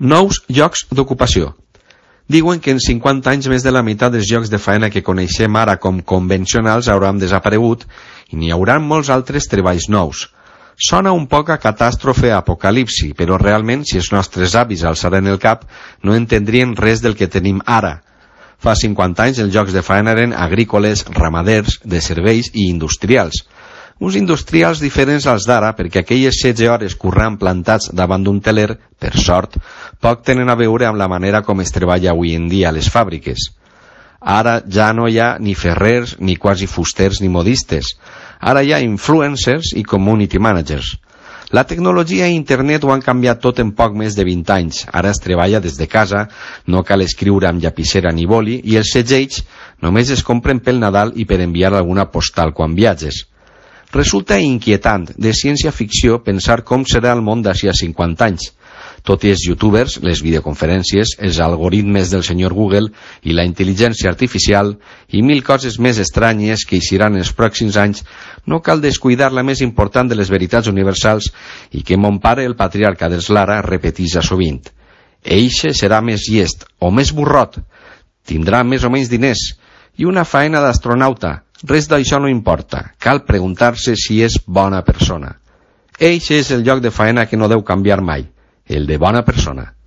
Nous llocs d'ocupació. Diuen que en 50 anys més de la meitat dels llocs de faena que coneixem ara com convencionals hauran desaparegut i n'hi haurà molts altres treballs nous. Sona un poc a catàstrofe apocalipsi, però realment si els nostres avis alçaren el cap no entendrien res del que tenim ara. Fa 50 anys els llocs de faena eren agrícoles, ramaders, de serveis i industrials. Uns industrials diferents als d'ara, perquè aquelles 16 hores currant plantats davant d'un teler, per sort, poc tenen a veure amb la manera com es treballa avui en dia a les fàbriques. Ara ja no hi ha ni ferrers, ni quasi fusters, ni modistes. Ara hi ha influencers i community managers. La tecnologia i internet ho han canviat tot en poc més de 20 anys. Ara es treballa des de casa, no cal escriure amb llapissera ni boli, i els segells només es compren pel Nadal i per enviar alguna postal quan viatges. Resulta inquietant, de ciència-ficció, pensar com serà el món d'ací a 50 anys. Tot i els youtubers, les videoconferències, els algoritmes del senyor Google i la intel·ligència artificial i 1000 coses més estranyes que eixiran els pròxims anys, no cal descuidar la més important de les veritats universals i que mon pare, el patriarca dels Lara, repeteix sovint. Eixe serà més llest o més burrot, tindrà més o menys diners i una faena d'astronauta. Res d'això no importa, cal preguntar-se si és bona persona. Eixe és el lloc de faena que no deu canviar mai, el de bona persona.